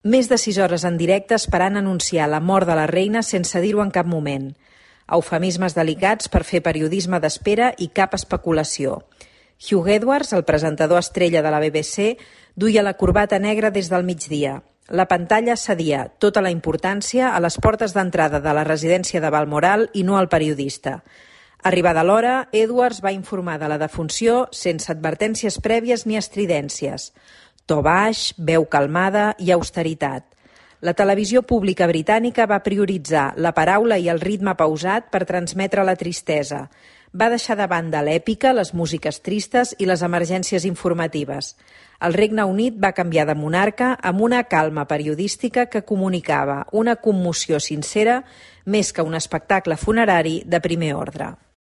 Més de 6 hores en directe esperant anunciar la mort de la reina sense dir-ho en cap moment. Eufemismes delicats per fer periodisme d'espera i cap especulació. Hugh Edwards, el presentador estrella de la BBC, duia la corbata negra des del migdia. La pantalla cedia tota la importància a les portes d'entrada de la residència de Balmoral i no al periodista. Arribada l'hora, Edwards va informar de la defunció sense advertències prèvies ni estridències. To baix, veu calmada i austeritat. La televisió pública britànica va prioritzar la paraula i el ritme pausat per transmetre la tristesa. Va deixar de banda l'èpica, les músiques tristes i les emergències informatives. El Regne Unit va canviar de monarca amb una calma periodística que comunicava una commoció sincera més que un espectacle funerari de primer ordre.